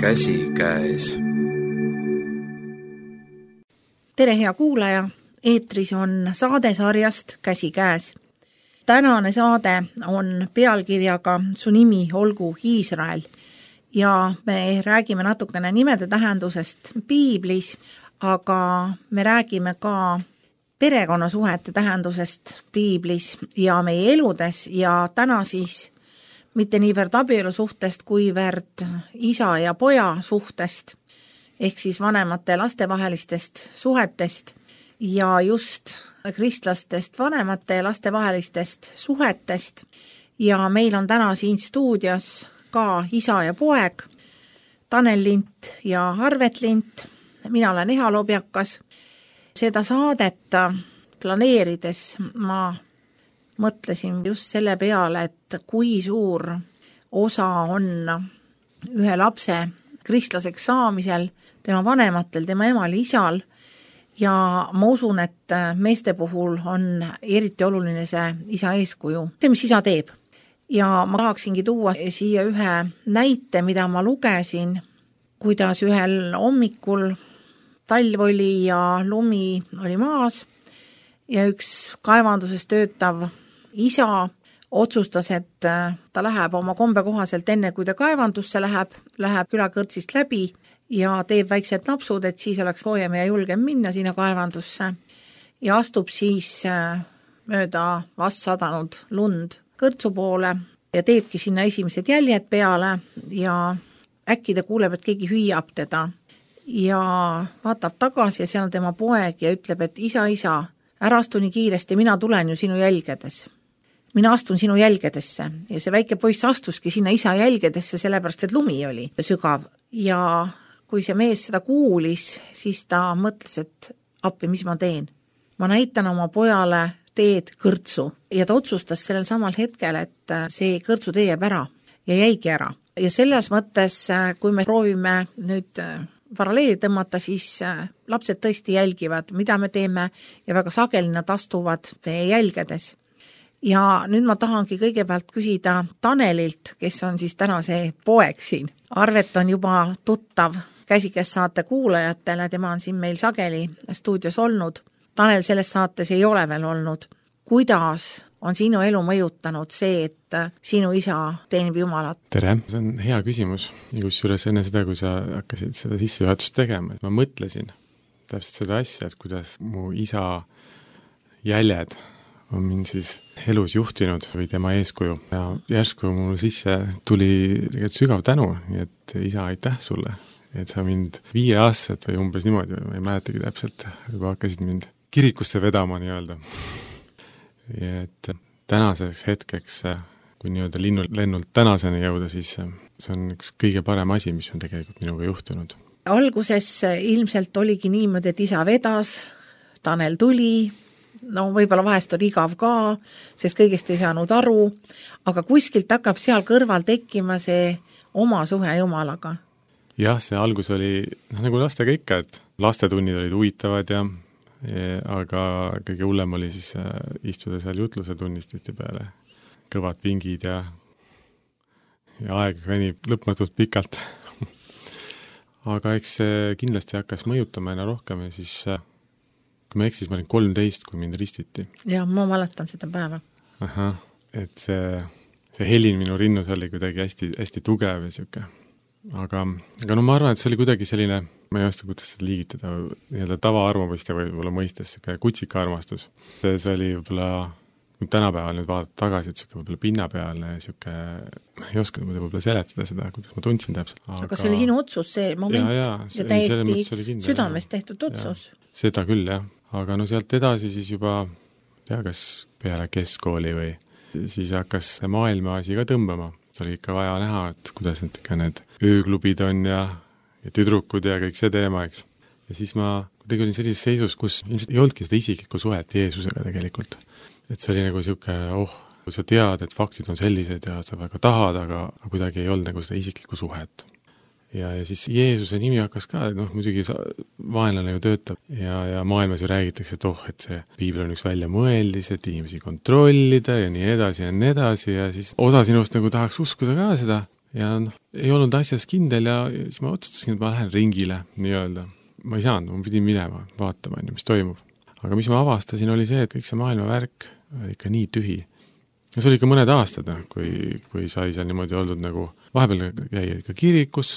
käsikäes. Tere, hea kuulaja! Eetris on saadesarjast Käsikäes. Tänane saade on pealkirjaga Su nimi olgu Iisrael ja me räägime natukene nimede tähendusest piiblis, aga me räägime ka perekonnasuhete tähendusest piiblis ja meie eludes ja täna siis mitte niivõrd abielu suhtest, kuivõrd isa ja poja suhtest, ehk siis vanemate ja laste vahelistest suhetest ja just kristlastest vanemate ja laste vahelistest suhetest. Ja meil on täna siin stuudios ka isa ja poeg, Tanel Lint ja Arvet Lint. Mina olen Eha Lobjakas. Seda saadet planeerides ma mõtlesin just selle peale, et kui suur osa on ühe lapse kristlaseks saamisel, tema vanematel, tema emal, isal, ja ma usun, et meeste puhul on eriti oluline see isa eeskuju, see, mis isa teeb. Ja ma tahaksingi tuua siia ühe näite, mida ma lugesin, kuidas ühel hommikul talv oli ja lumi oli maas ja üks kaevanduses töötav isa otsustas, et ta läheb oma kombe kohaselt enne, kui ta kaevandusse läheb külakõrtsist läbi ja teeb väiksed napsud, et siis oleks soojem ja julgem minna sinna kaevandusse ja astub siis mööda vast sadanud lund kõrtsu poole ja teebki sinna esimesed jäljed peale ja äkki ta kuuleb, et keegi hüüab teda ja vaatab tagasi ja seal on tema poeg ja ütleb, et isa, ära astu nii kiiresti, mina tulen ju sinu jälgedes. Mina astun sinu jälgedesse ja see väike poiss astuski sinna isa jälgedesse, sellepärast et lumi oli sügav ja kui see mees seda kuulis, siis ta mõtles, et appi, mis ma teen. Ma näitan oma pojale teed kõrtsu ja ta otsustas sellel samal hetkel, et see kõrtsu tee jääb ära ja jäigi ära. Ja selles mõttes, kui me proovime nüüd paralleeli tõmmata, siis lapsed tõesti jälgivad, mida me teeme ja väga sageli nad astuvad meie jälgedes. Ja nüüd ma tahangi kõigepealt küsida Tanelilt, kes on siis täna see poeg siin. Arvet on juba tuttav Käsikäes saate kuulajatele, tema on siin meil sageli stuudios olnud. Tanel selles saates ei ole veel olnud. Kuidas on sinu elu mõjutanud see, et sinu isa teenib Jumalat? Tere, see on hea küsimus. Kusjuures enne seda, kui sa hakkasid seda sissejuhatust tegema, ma mõtlesin täpselt seda asja, et kuidas mu isa jäljed on mind siis elus juhtinud või tema eeskuju. Ja järsku mul sisse tuli tegelikult sügav tänu, nii et isa, aitäh sulle, et sa mind 5-aastaselt või umbes niimoodi, ma ei mäletagi täpselt, juba hakkasid mind kirikusse vedama nii-öelda. Ja et tänaseks hetkeks, kui nii-öelda lennult tänaseni jõuda, siis see on üks kõige parem asi, mis on tegelikult minuga juhtunud. Alguses ilmselt oligi niimoodi, et isa vedas, Tanel tuli, no võib-olla vahest on igav ka, sest kõigest ei saanud aru, aga kuskilt hakkab seal kõrval tekkima see oma suhe Jumalaga. Jah, see algus oli nagu lastega ikka, et lastetunnid olid huvitavad aga kõige hullem oli siis istuda seal jutluse tunnististe peale. Kõvad pingid ja aeg venib lõpmatult pikalt. Aga eks see kindlasti hakkas mõjutama aina rohkem ja siis kui ma eksis, ma olin 13, kui mind ristiti. Ja ma mäletan seda päeva. Et see helin minu rinnus oli kuidagi hästi, hästi tugev ja siuke. Aga no ma arvan, et see oli kuidagi selline, ma ei oska, kuidas seda liigitada, nii-öelda tavaarmumiste võib-olla mõistes, siuke kutsika armastus. See oli võib-olla, kui tänapäeval nüüd vaadata tagasi, et siuke võib-olla pinnapealne, siuke, ei oska võib-olla seletada seda, kuidas ma tundsin täpselt. Aga see oli sinu otsus, see moment ja täiesti südamest tehtud otsus. Seda küll, jah. Aga no sealt edasi siis juba, kas peale keskkooli või siis hakkas maailma asi ka tõmbama. Oli ikka vaja näha, et kuidas need ööklubid on ja tüdrukud ja kõik see teema, eks. Ja siis ma kuidagi olin sellises seisus, kus ei olnudki seda isiklikku suhet Jeesusega tegelikult. Et see oli nagu siuke, kui sa tead, et faktid on sellised ja sa väga tahad, aga kuidagi ei olnud nagu seda isiklikku suhet. Ja siis Jeesuse nimi hakkas ka, muidugi vaenlane ju töötab ja maailmas ju räägitakse, et see piibel on üks väljamõeldis, et inimesi kontrollida ja nii edasi ja siis osa sinust nagu tahaks uskuda ka seda ja ei olnud asjas kindel ja siis ma otsustasin, et ma lähen ringile nii-öelda. Ma ei saanud, ma pidin minema, vaatama, mis toimub. Aga mis ma avastasin, oli see, et kõik see maailma värk oli ikka nii tühi. Ja see oli ikka mõned aastad, kui sai seal niimoodi olnud nagu, vahepeal jäi ikka kirikus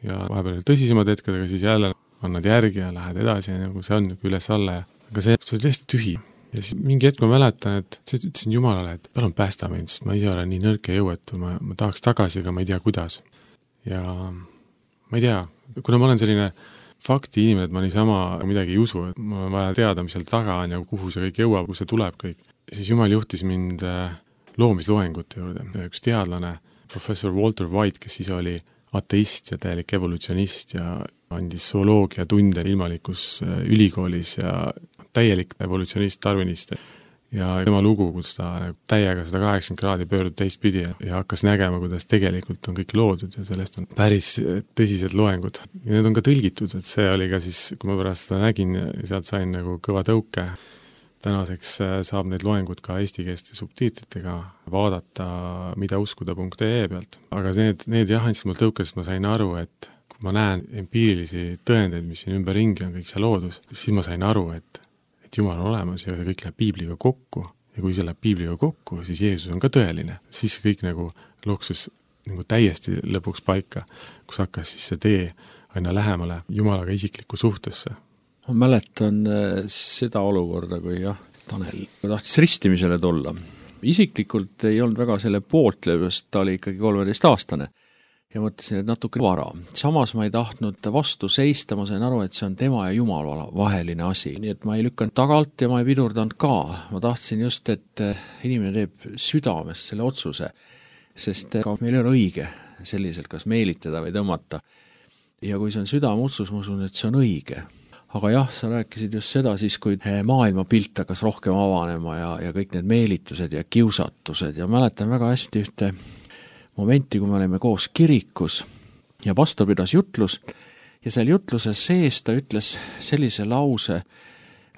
ja vahepeal tõsisemad hetked, aga siis jälle annad järgi ja lähed edasi ja nagu see on üles-alla. Aga see oli täiesti tühi. Ja siis mingi hetk ma mäletan, et ütlesin Jumalale, et palun päästa mind, sest ma ise olen nii nõrk ja jõuetu, ma tahaks tagasi, aga ma ei tea, kuidas. Ja ma ei tea, kuna ma olen selline fakti inimene, et ma niisama midagi ei usu, et mul on vaja teada, mis seal taga on ja kuhu see kõik jõuab, kus see tuleb kõik. Siis Jumal juhtis mind loomisloengute juurde. Üks teadlane, professor Walter White, kes siis oli ateist ja täielik evolutsionist ja andis zooloogia tunde ilmalikus ülikoolis ja täielik evolutsionist, darwinist. Ja tema lugu, kus ta täiega 180 kraadi pöördub teistpidi ja hakkas nägema, kuidas tegelikult on kõik loodud ja sellest on päris tõsised loengud. Ja need on ka tõlgitud, et see oli ka siis, kui ma pärast seda nägin, sealt sain nagu kõva tõuke. Tänaseks saab need loengud ka eestikeelse subtiitritega vaadata midauskuda.ee pealt. Aga need jah, andsid mul tõuke, sest ma sain aru, et kui ma näen empiirilisi tõendeid, mis siin ümberringi on kõik see loodus, siis ma sain aru, et Jumal on olemas ja kõik läheb Piibliga kokku. Ja kui see läheb Piibliga kokku, siis Jeesus on ka tõeline. Siis kõik nagu loksus nagu täiesti lõpuks paika, kus hakkas siis see tee aina lähemale Jumalaga isiklikku suhtesse. Ma mäletan seda olukorda, kui Tanel tahtis ristimisele tulla. Isiklikult ei olnud väga selle pooltlevest, ta oli ikkagi 13-aastane. Ja mõtlesin, et natuke vara. Samas ma ei tahtnud vastu seista, ma sain aru, et see on tema ja Jumala vaheline asi. Nii et ma ei lükanud tagalt ja ma ei pidurdanud ka. Ma tahtsin just, et inimene teeb südamest selle otsuse, sest ka meil ei ole õige selliselt kas meelitada või tõmmata. Ja kui see on südameotsus, ma usun, et see on õige. Aga jah, sa rääkisid just seda siis, kui maailma pilt hakkas rohkem avanema ja kõik need meelitused ja kiusatused ja mäletan väga hästi ühte momenti, kui me olime koos kirikus ja pastor pidas jutlus ja seal jutluses sees ta ütles sellise lause,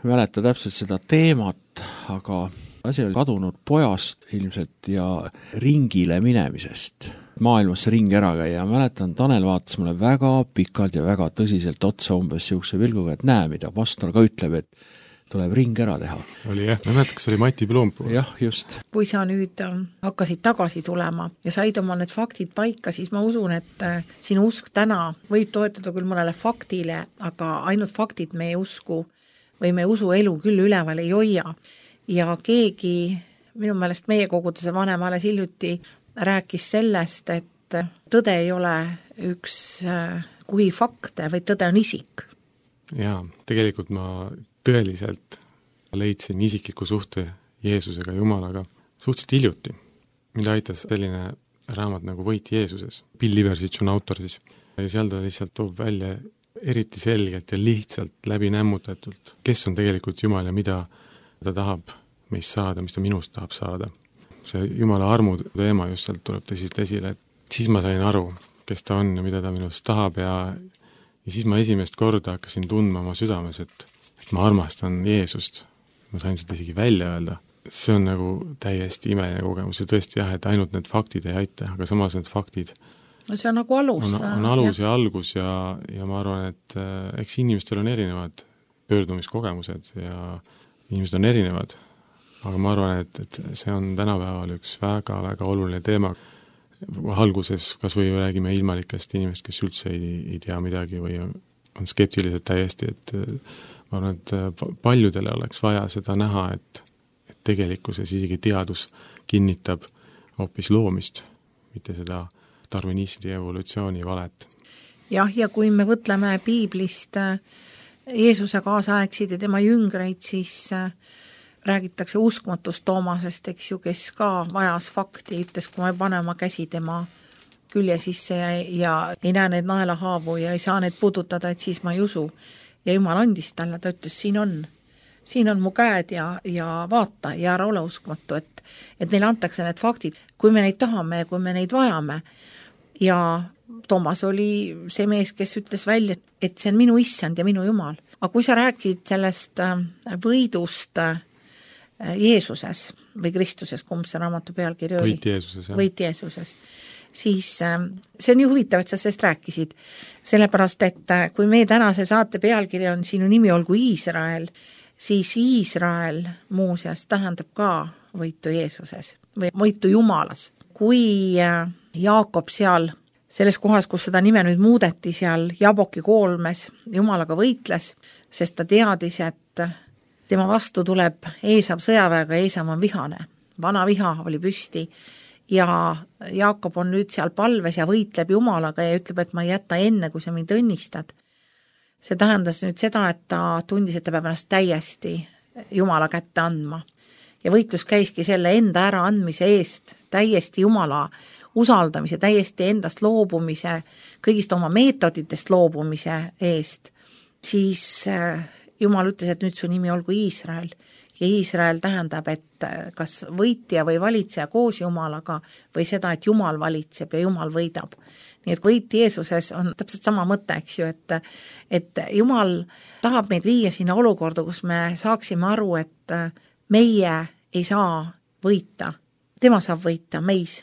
ma mäleta täpselt seda teemat, aga asi oli kadunud pojast ilmselt ja ringile minemisest, maailmasse ringi ära käia. Mäletan, Tanel vaatas mulle väga pikalt ja väga tõsiselt otsa umbes siukse vilguga, et näe, mida pastor ka ütleb, et tuleb ring ära teha. Oli jah, ma mäletan, kas oli Mati Plumpuu. Jah, just. Kui sa nüüd hakkasid tagasi tulema ja said oma need faktid paika, siis ma usun, et sinu usk täna võib toetada küll mõnele faktile, aga ainult faktid meie usku või meie usuelu küll üleval ei hoia. Ja keegi, minu meelest meie koguduse vanem alles hiljuti rääkis sellest, et tõde ei ole üks kui fakte, vaid tõde on isik. Jaa, tegelikult ma tõeliselt leidsin isikliku suhte Jeesusega, Jumalaga suhteliselt hiljuti. Mida aitas selline raamat nagu Võit Jeesuses. Bill Liversitš on autor siis. Ja seal ta lihtsalt toob välja eriti selgelt ja lihtsalt läbi nämmutatult, kes on tegelikult Jumal ja mida ta tahab meist saada, mis ta minust tahab saada. See Jumala armu teema just sealt tuleb tõsiselt esile, et siis ma sain aru, kes ta on ja mida ta minust tahab ja siis ma esimest korda hakkasin tundma oma südames, et ma armastan Jeesust. Ma sain seda isegi välja öelda. See on nagu täiesti imeline kogemus ja tõesti jah, et ainult need faktid ei aita, aga samas need faktid no see on nagu alus. On alus ja algus ja ma arvan, et eks inimestel on erinevad pöördumiskogemused ja inimesed on erinevad. Aga ma arvan, et see on tänapäeval üks väga-väga oluline teema. Alguses kas või räägime ilmalikest inimest, kes üldse ei tea midagi või on skeptilised täiesti, et ma arvan, et paljudele oleks vaja seda näha, et tegelikkuses isegi teadus kinnitab hoopis loomist, mitte seda darwinismi evolutsiooni valet. Jah, ja kui me võtleme piiblist Jeesuse kaasaegsid ja tema jüngreid, siis räägitakse uskmatust Toomasest, eks ju, kes ka vajas fakti, ütles, kui ma ei pane oma käsi tema külje sisse ja ei näe need naelahaavu ja ei saa need puudutada, et siis ma ei usu. Ja Jumal andis talle, ta ütles, siin on mu käed ja vaata ja ära ole uskmatu, et neile antakse need faktid, kui me neid tahame ja kui me neid vajame. Ja Toomas oli see mees, kes ütles välja, et see on minu issand ja minu Jumal. Aga kui sa räägid sellest võidust Jeesuses või Kristuses, kumb see raamatu pealkiri oli? Võit Jeesuses, jah. Võit Jeesuses. siis see on ju huvitav, et sa sellest rääkisid. Sellepärast, et kui meie tänase saate pealkiri on Sinu nimi olgu Iisrael, siis Iisrael muuseas tähendab ka võitu Jeesuses või võitu Jumalas. Kui Jaakob seal selles kohas, kus seda nime nüüd muudeti, seal Jaboki koolmes Jumalaga võitles, sest ta teadis, et tema vastu tuleb Eesav sõjaväega, Eesav on vihane. Vana viha oli püsti ja Jaakob on nüüd seal palves ja võitleb Jumalaga ja ütleb, et ma ei jäta enne, kui sa mind õnnistad. See tähendas nüüd seda, et ta tundis, et ta peab ennast täiesti Jumala kätte andma. Ja võitlus käiski selle enda ära andmise eest, täiesti Jumala usaldamise, täiesti endast loobumise, kõigist oma meetoditest loobumise eest. Siis Jumal ütles, et nüüd su nimi olgu Iisrael. Ja Iisrael tähendab, et kas võitja või valitseja koos Jumalaga või seda, et Jumal valitseb ja Jumal võidab. Nii et võit Jeesuses on täpselt sama mõte, eks ju, et Jumal tahab meid viia sinna olukorda, kus me saaksime aru, et meie ei saa võita. Tema saab võita meis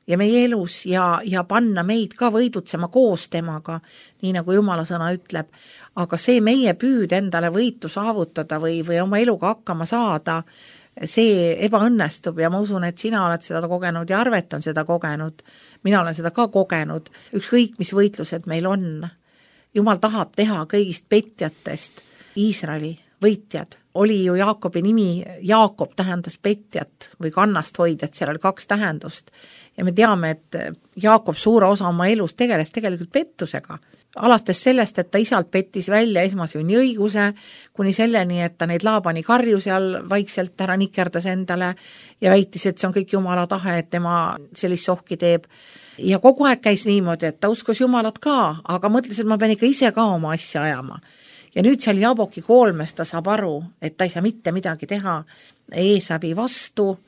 ja meie elus ja panna meid ka võidutsema koos temaga, nii nagu Jumala sõna ütleb. Aga see meie püüd endale võitu saavutada või oma eluga hakkama saada, see ebaõnnestub ja ma usun, et sina oled seda kogenud ja Arvet on seda kogenud. Mina olen seda ka kogenud. Ükskõik, mis võitlused meil on. Jumal tahab teha kõigist petjatest Iisraeli võitjad. Oli ju Jaakobi nimi, Jaakob tähendas petjat või kannast hoidjat, seal oli 2 tähendust. Ja me teame, et Jaakob suure osa oma elus tegeles tegelikult pettusega. Alates sellest, et ta isalt pettis välja esmasünni õiguse, kuni selleni, et ta neid Laabani karju seal vaikselt ära nikerdas endale ja väitis, et see on kõik Jumala tahe, et tema sellist sohki teeb. Ja kogu aeg käis niimoodi, et ta uskus Jumalat ka, aga mõtles, et ma pean ikka ise ka oma asja ajama. Ja nüüd seal Jaboki koolmes ta saab aru, et ta ei saa mitte midagi teha Eesavi vastu,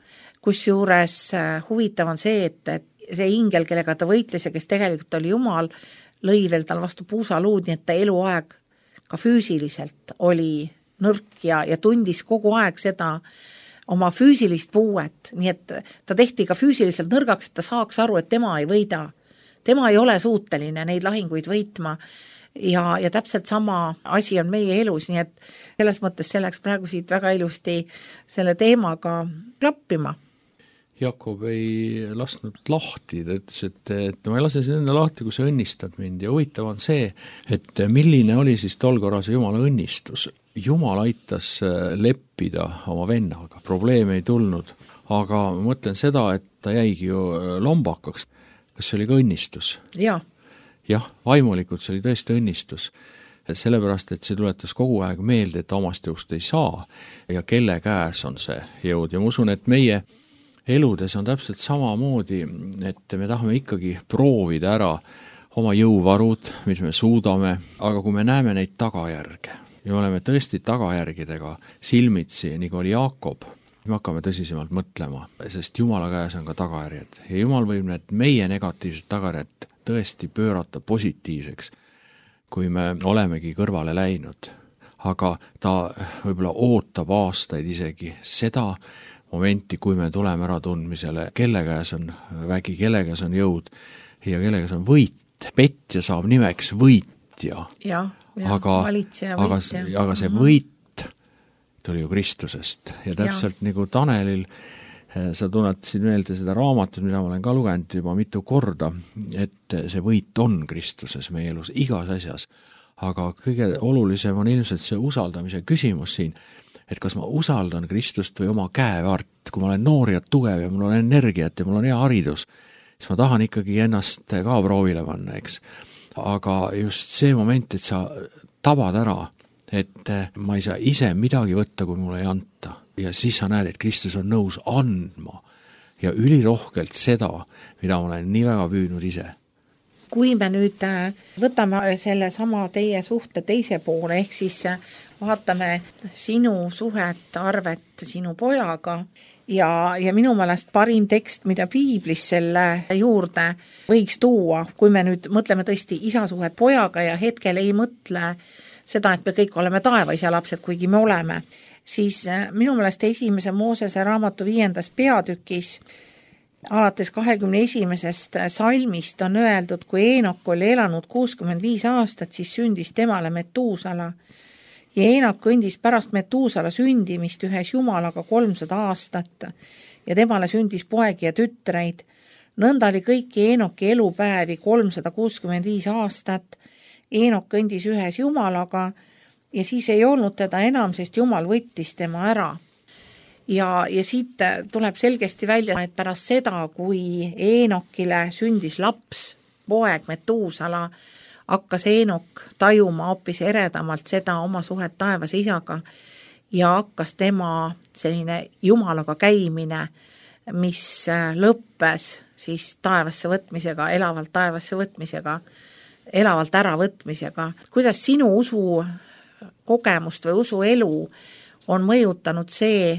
kusjuures huvitav on see, et see ingel, kellega ta võitles ja kes tegelikult oli Jumal, lõi veel tal vastu puusaluud, nii et ta eluaeg ka füüsiliselt oli nõrk ja tundis kogu aeg seda oma füüsilist puuet, nii et ta tehti ka füüsiliselt nõrgaks, et ta saaks aru, et tema ei võida. Tema ei ole suuteline neid lahinguid võitma ja täpselt sama asi on meie elus, nii et selles mõttes see läks praegu siit väga ilusti selle teemaga klappima. Jakob ei lasknud lahti, ta ütles, et ma ei lase sind enne lahti, kui sa õnnistad mind ja huvitav on see, et milline oli siis tol korras Jumala õnnistus. Jumal aitas leppida oma vennaga, probleeme ei tulnud, aga ma mõtlen seda, et ta jäigi ju lombakaks. Kas see oli ka õnnistus? Jah, vaimulikult see oli tõesti õnnistus. Sellepärast, et see tuletas kogu aeg meelde, et omast jõust ei saa ja kelle käes on see jõud ja ma usun, et meie eludes on täpselt samamoodi, et me tahame ikkagi proovida ära oma jõuvarud, mis me suudame, aga kui me näeme neid tagajärge ja oleme tõesti tagajärgidega silmitsi, nagu oli Jaakob, me hakkame tõsisemalt mõtlema, sest Jumala käes on ka tagajärjed ja Jumal võib need meie negatiivsed tagajärjed tõesti pöörata positiivseks, kui me olemegi kõrvale läinud. Aga ta võib-olla ootab aastaid isegi seda momenti, kui me tuleme ära tundmisele, kelle käes on vägi, kelle käes on jõud ja kelle käes on võit. Petja saab nimeks võitja. Aga see võit tuli ju Kristusest ja täpselt nagu Tanelil, sa tunnetasid meelde seda raamatut, mida ma olen ka lugenud juba mitu korda, et see võit on Kristuses meie elus igas asjas. Aga kõige olulisem on ilmselt see usaldamise küsimus siin, et kas ma usaldan Kristust või oma käevärt, kui ma olen noor ja tugev ja mul on energiat ja mul on hea haridus, siis ma tahan ikkagi ennast ka proovile panna, eks. Aga just see moment, et sa tabad ära, et ma ei saa ise midagi võtta, kui mulle ei anta. Ja siis sa näed, et Kristus on nõus andma ja ülirohkelt seda, mida ma olen nii väga püüdnud ise. Kui me nüüd võtame selle sama teie suhte teise poole, ehk siis vaatame sinu suhet, Arvet sinu pojaga ja minu meelest parim tekst, mida piiblis selle juurde võiks tuua, kui me nüüd mõtleme tõesti isa suhet pojaga ja hetkel ei mõtle seda, et me kõik oleme taevaisa lapsed, kuigi me oleme, siis minu meelest 1. Moosese raamatu 5. peatükis alates 21. salmist on öeldud, kui Eenok oli elanud 65 aastat, siis sündis temale Metuusala. Ja Eenok kõndis pärast Metuusala sündimist ühes Jumalaga 300 aastat ja temale sündis poegi ja tütreid. Nõnda oli kõiki Eenoki elupäevi 365 aastat. Eenok kõndis ühes Jumalaga ja siis ei olnud teda enam, sest Jumal võttis tema ära. Ja siit tuleb selgesti välja, et pärast seda, kui Eenokile sündis laps, poeg Metuusala, hakkas Eenok tajuma hoopis eredamalt seda oma suhet taevase isaga ja hakkas tema selline Jumalaga käimine, mis lõppes siis taevasse võtmisega, elavalt taevasse võtmisega, elavalt äravõtmisega. Kuidas sinu usu kogemust või usuelu on mõjutanud see,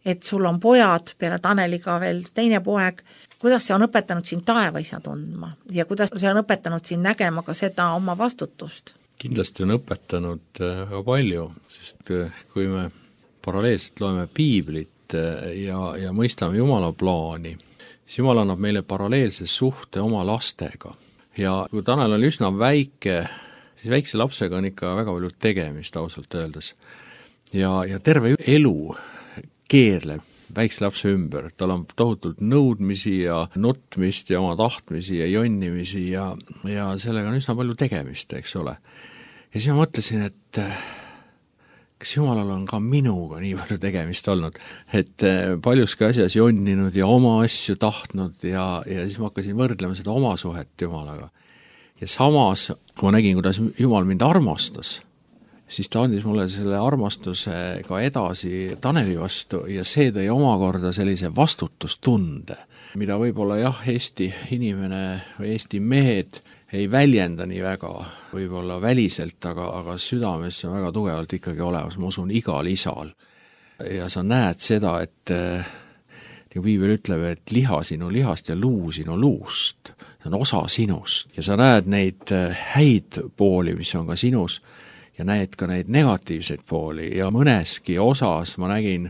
et sul on pojad, peale Taneliga veel teine poeg, kuidas see on õpetanud sind taevaisa tundma ja kuidas see on õpetanud sind nägema ka seda oma vastutust? Kindlasti on õpetanud väga palju, sest kui me paralleelselt loeme piiblit ja mõistame Jumala plaani, siis Jumal annab meile paralleelse suhte oma lastega. Ja kui Tanel oli üsna väike, siis väikse lapsega on ikka väga palju tegemist ausalt öeldes. Ja terve elu keerleb väikse lapse ümber, tal on tohutult nõudmisi ja nutmist ja oma tahtmisi ja jonnimisi ja sellega on üsna palju tegemist, eks ole. Ja siis ma mõtlesin, et kas Jumalal on ka minuga nii palju tegemist olnud, et paljuski asjas jonninud ja oma asju tahtnud ja siis ma hakkasin võrdlema seda oma suhet Jumalaga. Ja samas, kui ma nägin, kuidas Jumal mind armastas, siis ta andis mulle selle armastuse ka edasi Taneli vastu ja see tõi omakorda sellise vastutustunde, mida võib-olla Eesti inimene või Eesti mehed ei väljenda nii väga, võib-olla väliselt, aga südames on väga tugevalt ikkagi olemas, ma usun igal isal. Ja sa näed seda, et nagu Piibel ütleb, et liha sinu lihast ja luu sinu luust, see on osa sinust ja sa näed neid häid pooli, mis on ka sinus, ja näed ka neid negatiivseid pooli ja mõneski osas ma nägin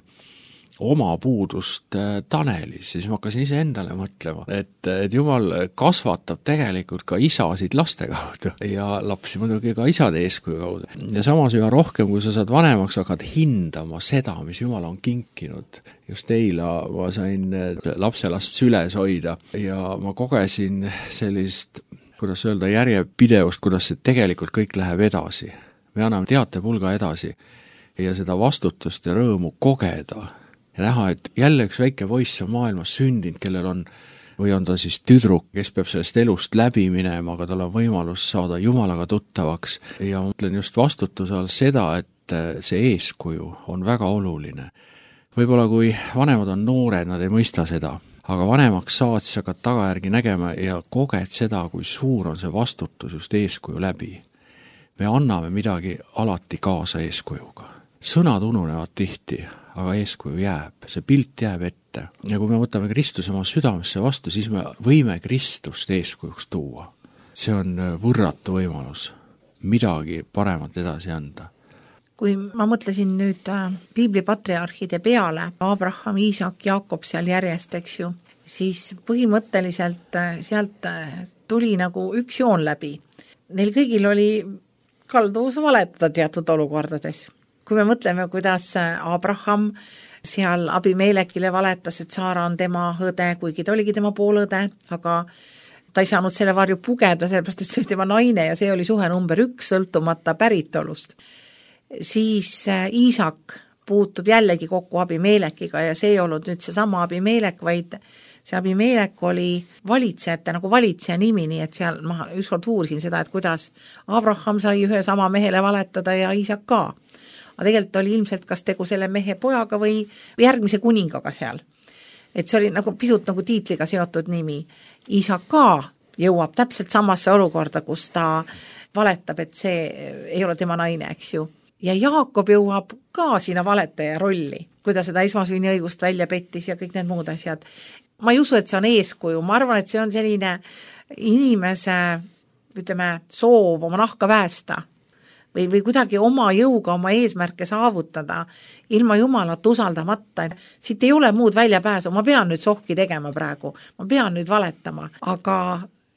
oma puudust Tanelis, siis ma hakkasin ise endale mõtlema, et Jumal kasvatab tegelikult ka isasid laste kaudu ja lapsi muidugi ka isade eeskuju kaudu. Ja samas üha rohkem, kui sa saad vanemaks, hakkad hindama seda, mis Jumal on kinkinud. Just eile ma sain lapselast süles hoida ja ma kogesin sellist, kuidas öelda, järjepidevust, kuidas see tegelikult kõik läheb edasi. Me anname teatepulga edasi ja seda vastutust ja rõõmu kogeda ja näha, et jälle üks väike poiss on maailmas sündinud, kellel on, või on ta siis tüdruk, kes peab sellest elust läbi minema, aga tal on võimalus saada Jumalaga tuttavaks ja mõtlen just vastutuse all seda, et see eeskuju on väga oluline. Võib-olla kui vanemad on noored, nad ei mõista seda, aga vanemaks saad, siis hakkad tagajärgi nägema ja koged seda, kui suur on see vastutus just eeskuju läbi. Me anname midagi alati kaasa eeskujuga. Sõnad ununevad tihti, aga eeskuju jääb, see pilt jääb ette. Ja kui me võtame Kristuse oma südamesse vastu, siis me võime Kristust eeskujuks tuua. See on võrratu võimalus midagi paremat edasi anda. Kui ma mõtlesin nüüd piibli patriarhide peale, Abraham, Iisak, Jaakob seal järjest, eks ju, siis põhimõtteliselt sealt tuli nagu üks joon läbi. Neil kõigil oli kalduvus valetada teatud olukordades. Kui me mõtleme, kuidas Abraham seal Abimelekile valetas, et Saara on tema õde, kuigi ta oligi tema poolõde, aga ta ei saanud selle varju pugeda, sellepärast, et see oli tema naine ja see oli suhe number 1 sõltumata päritolust. Siis Iisak puutub jällegi kokku Abimelekiga ja see ei olnud nüüd see sama Abimelek, vaid see Abimelek oli valitsejate nagu valitseja nimi, nii et seal ma ükskord uurisin seda, et kuidas Abraham sai ühe sama mehele valetada ja Iisak ka. Aga tegelikult oli ilmselt kas tegu selle mehe pojaga või järgmise kuningaga seal. Et see oli nagu pisut nagu tiitliga seotud nimi. Iisak ka jõuab täpselt samasse olukorda, kus ta valetab, et see ei ole tema naine, eks ju. Ja Jaakob jõuab ka sinna valetaja rolli, kui ta seda esmasünniõigust välja pettis ja kõik need muud asjad. Ma ei usu, et see on eeskuju, ma arvan, et see on selline inimese, ütleme, soov oma nahka päästa või kuidagi oma jõuga oma eesmärke saavutada, ilma Jumalat usaldamata. Siit ei ole muud väljapääsu, ma pean nüüd sohki tegema praegu, ma pean nüüd valetama, aga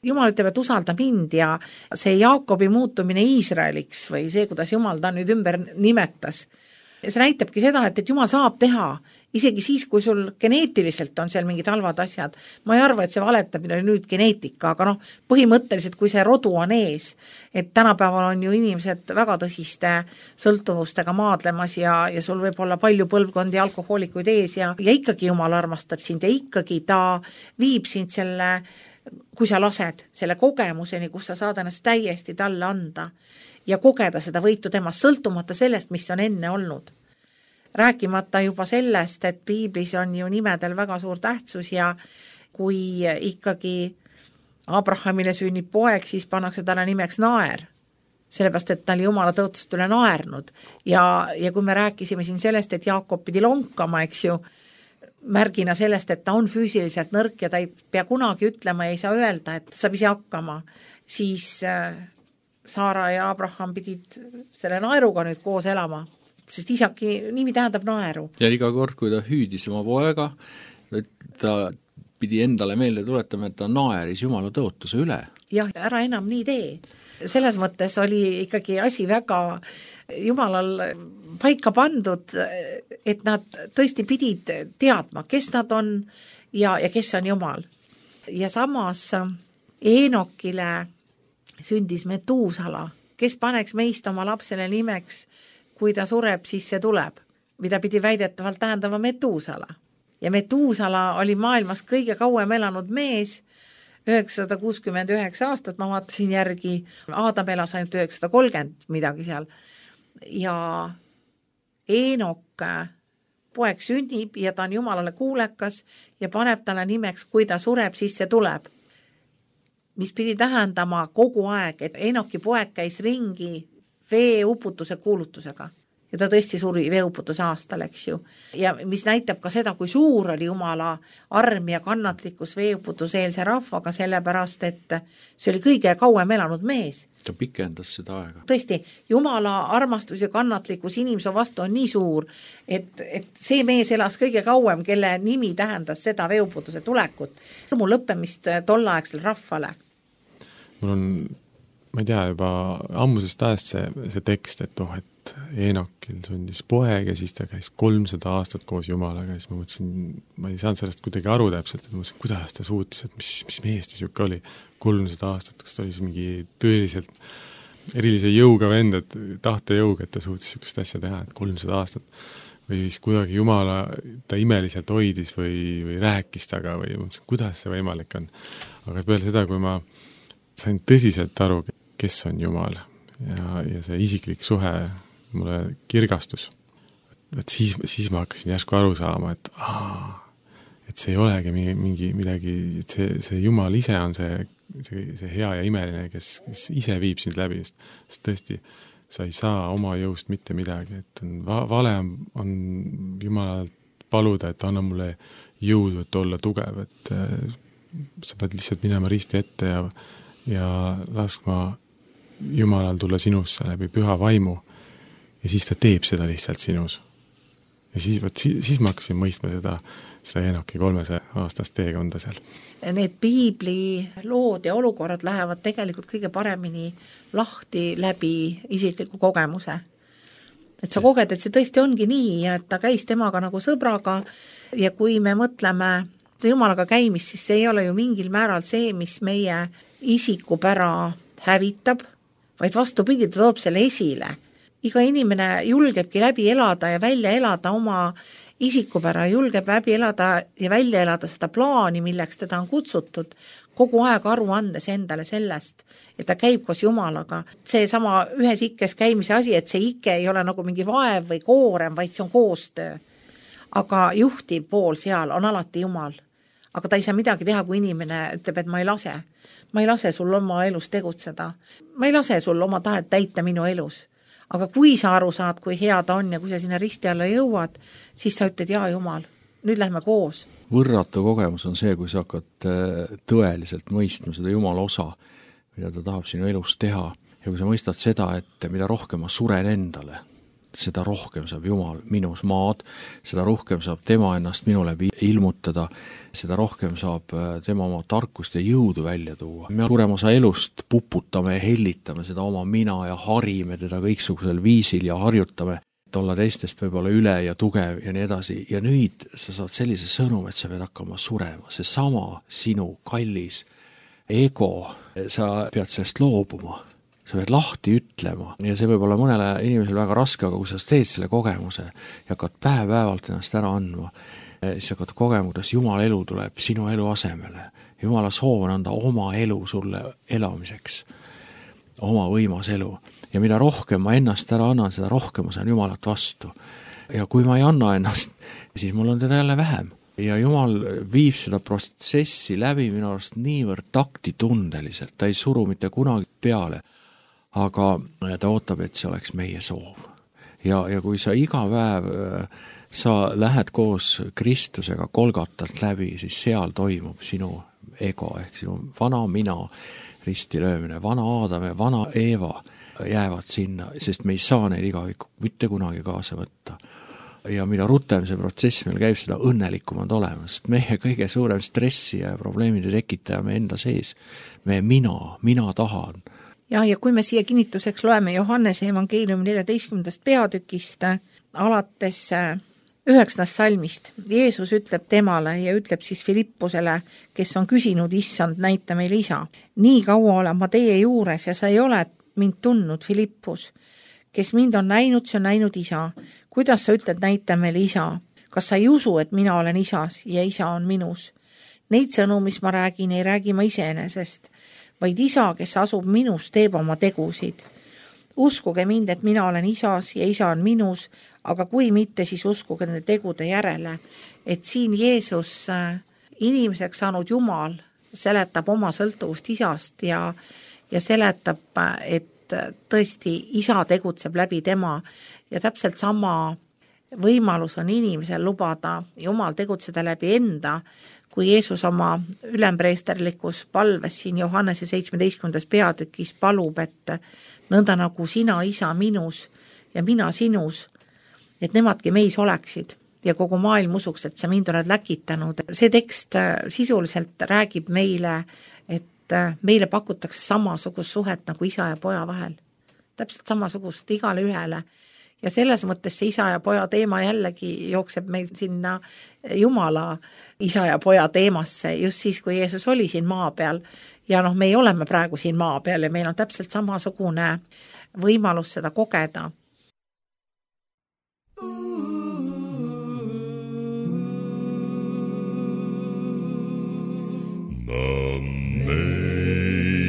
Jumal ütleb, et usalda mind ja see Jaakobi muutumine Iisraeliks või see, kuidas Jumal ta nüüd ümber nimetas, see näitabki seda, et Jumal saab teha, isegi siis, kui sul geneetiliselt on seal mingid halvad asjad. Ma ei arva, et see valetamine oli nüüd geneetika, aga põhimõtteliselt, kui see rodu on ees, et tänapäeval on ju inimesed väga tõsiste sõltuvustega maadlemas ja sul võib olla palju põlvkondi alkohoolikuid ees ja ikkagi Jumal armastab sind ja ikkagi ta viib sind selle, kui sa lased selle kogemuseni, kus sa saad ennast täiesti talle anda ja kogeda seda võitu temast, sõltumata sellest, mis on enne olnud. Rääkimata juba sellest, et piiblis on ju nimedel väga suur tähtsus ja kui ikkagi Abrahamile sünnib poeg, siis pannakse talle nimeks Naer, sellepärast, et ta oli Jumala tõotust üle naernud ja kui me rääkisime siin sellest, et Jaakob pidi lonkama, eks ju, märgina sellest, et ta on füüsiliselt nõrk ja ta ei pea kunagi ütlema ja ei saa öelda, et saab ise hakkama, siis Saara ja Abraham pidid selle naeruga nüüd koos elama, sest isaki nimi tähendab naeru. Ja iga kord, kui ta hüüdis oma poega, ta pidi endale meelde tuletama, et ta naeris Jumala tõotuse üle. Jah, ära enam nii tee. Selles mõttes oli ikkagi asi väga Jumalal paika pandud, et nad tõesti pidid teadma, kes nad on ja kes on Jumal. Ja samas Eenokile sündis Metuusala, kes paneks meist oma lapsele nimeks, kui ta sureb, siis see tuleb, mida pidi väidetavalt tähendama Metuusala. Ja Metuusala oli maailmas kõige kauem elanud mees, 969 aastat, ma vaatasin järgi, Aadam elas ainult 930 midagi seal. Ja Eenok poeg sünnib ja ta on Jumalale kuulekas ja paneb talle nimeks, kui ta sureb, siis see tuleb. Mis pidi tähendama kogu aeg, et Eenoki poeg käis ringi veeuputuse kuulutusega. Ja ta tõesti suri veeuputuse aastal, eks ju. Ja mis näitab ka seda, kui suur oli Jumala arm ja kannatlikkus veeuputuseelse rahvaga, sellepärast, et see oli kõige kauem elanud mees. Ta pikendas seda aega. Tõesti, Jumala armastus ja kannatlikkus inimese vastu on nii suur, et see mees elas kõige kauem, kelle nimi tähendas seda veeuputuse tulekut. Mu lõppemist tollaegsel rahvale. Mul on, ma ei tea, juba ammusest ajast see tekst, et et Eenokil sündis poeg ja siis ta käis 300 aastat koos Jumalaga ja siis ma mõtlesin, ma ei saanud sellest kuidagi aru täpselt, et ma mõtlesin, kuidas ta suutis, et mis mees ta siuke oli 300 aastat, kas ta oli mingi tõeliselt erilise jõuga vend, et tahtejõuga, et ta suutis siukest asja teha, et 300 aastat või siis kuidagi Jumala ta imeliselt hoidis või rääkis taga või mõtlesin, kuidas see võimalik on. Aga peale seda, kui ma sain tõsiselt aru, kes on Jumal ja see isiklik suhe mulle kirgastus, et siis ma hakkasin järsku aru saama, et see ei olegi midagi, et see Jumal ise on see hea ja imeline, kes ise viib sind läbi, sest tõesti, sa ei saa oma jõust mitte midagi, et vale on Jumalalt paluda, et anna mulle jõudu, et olla tugev, et sa pead lihtsalt minema risti ette ja laskma Jumalal tulla sinusse läbi püha vaimu ja siis ta teeb seda lihtsalt sinus. Ja siis ma hakkasin mõistma seda Eenoki 300 aastast teekonda seal. Need piibli lood ja olukorrad lähevad tegelikult kõige paremini lahti läbi isikliku kogemuse. Et sa koged, et see tõesti ongi nii ja et ta käis temaga nagu sõbraga ja kui me mõtleme Jumalaga käimist, siis see ei ole ju mingil määral see, mis meie isikupära hävitab, vaid vastupidi, ta toob selle esile. Iga inimene julgebki läbi elada ja välja elada oma isikupära, julgeb läbi elada ja välja elada seda plaani, milleks teda on kutsutud, kogu aeg aru andes endale sellest, et ta käib koos Jumalaga. See sama ühes ikkes käimise asi, et see ikke ei ole nagu mingi vaev või koorem, vaid see on koostöö. Aga juhtiv pool seal on alati Jumal. Aga ta ei saa midagi teha, kui inimene ütleb, et ma ei lase sul oma elus tegutseda. Ma ei lase sul oma tahet täita minu elus. Aga kui sa aru saad, kui hea ta on ja kui sa sinna risti alla jõuad, siis sa ütled, jaa Jumal, nüüd lähme koos. Võrratu kogemus on see, kui sa hakkad tõeliselt mõistma seda Jumala osa, mida ta tahab sinu elus teha. Ja kui sa mõistad seda, et mida rohkem ma suren endale, seda rohkem saab Jumal minus maad, seda rohkem saab tema ennast minu läbi ilmutada, seda rohkem saab tema oma tarkust ja jõudu välja tuua. Me suurem osa elust puputame ja hellitame seda oma mina ja harime teda kõiksugusel viisil ja harjutame, et olla teistest võib-olla üle ja tugev ja nii edasi. Ja nüüd sa saad sellise sõnum, et sa pead hakkama surema. See sama sinu kallis ego, sa pead sellest loobuma. Sa pead lahti ütlema ja see võib olla mõnele inimesele väga raske, aga kui sa teed selle kogemuse ja hakkad päev-päevalt ennast ära andma, siis hakkad kogema, kuidas Jumala elu tuleb sinu elu asemele. Jumala soov on anda oma elu sulle elamiseks, oma võimas elu. Ja mida rohkem ma ennast ära annan, seda rohkem ma saan Jumalat vastu. Ja kui ma ei anna ennast, siis mul on teda jälle vähem. Ja Jumal viib seda protsessi läbi minu arust niivõrd taktitundeliselt, ta ei suru mitte kunagi peale, aga ta ootab, et see oleks meie soov. Ja kui sa iga päev sa lähed koos Kristusega Golgatalt läbi, siis seal toimub sinu ego ehk sinu vana mina risti löömine, vana Aadam ja vana Eeva jäävad sinna, sest me ei saa neid igavikku mitte kunagi kaasa võtta. Ja mida rutem see protsess meil käib, seda õnnelikumad olema, sest meie kõige suurem stressi ja probleemide tekitaja me enda sees. Me mina tahan. Ja kui me siia kinnituseks loeme Johannese evangeeliumi 14. peatükist alates 9. salmist. Jeesus ütleb temale ja ütleb siis Filippusele, kes on küsinud, issand, näita meile isa. Nii kaua olen ma teie juures ja sa ei ole mind tundnud, Filippus. Kes mind on näinud, see on näinud isa. Kuidas sa ütled, näita meile isa? Kas sa ei usu, et mina olen isas ja isa on minus? Neid sõnu, mis ma räägin, ei räägi ma iseenesest, vaid isa, kes asub minus, teeb oma tegusid. Uskuge mind, et mina olen isas ja isa on minus, aga kui mitte, siis uskuge nende tegude järele. Et siin Jeesus, inimeseks saanud Jumal, seletab oma sõltuvust isast ja seletab, et tõesti isa tegutseb läbi tema ja täpselt sama võimalus on inimesel lubada Jumal tegutseda läbi enda, kui Jeesus oma ülempreesterlikus palves siin Johannese 17. peatükis palub, et nõnda nagu sina, isa, minus ja mina sinus, et nemadki meis oleksid ja kogu maailm usuks, et sa mind oled läkitanud. See tekst sisuliselt räägib meile, et meile pakutakse samasugust suhet nagu isa ja poja vahel. Täpselt samasugust igale ühele. Ja selles mõttes see isa ja poja teema jällegi jookseb meil sinna Jumala isa ja poja teemasse just siis, kui Jeesus oli siin maa peal. Ja meie oleme praegu siin maa peal ja meil on täpselt samasugune võimalus seda kogeda.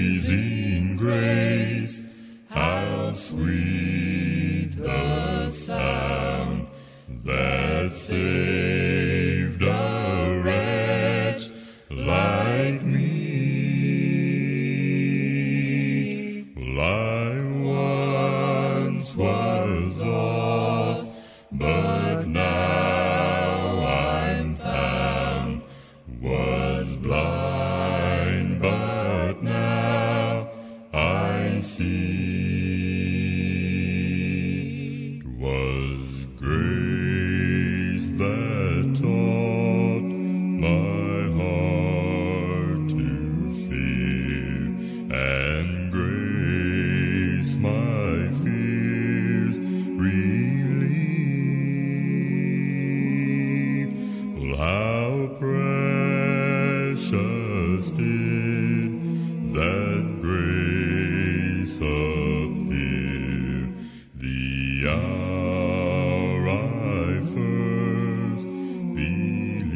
Amazing grace, how sweet the sound that saved a wretch like me. I once was lost, but now I'm found, was blind, but now I see. It was grace that taught my heart to fear, and grace my fears relieved. Well, how precious did that grace appear the hour I first believed.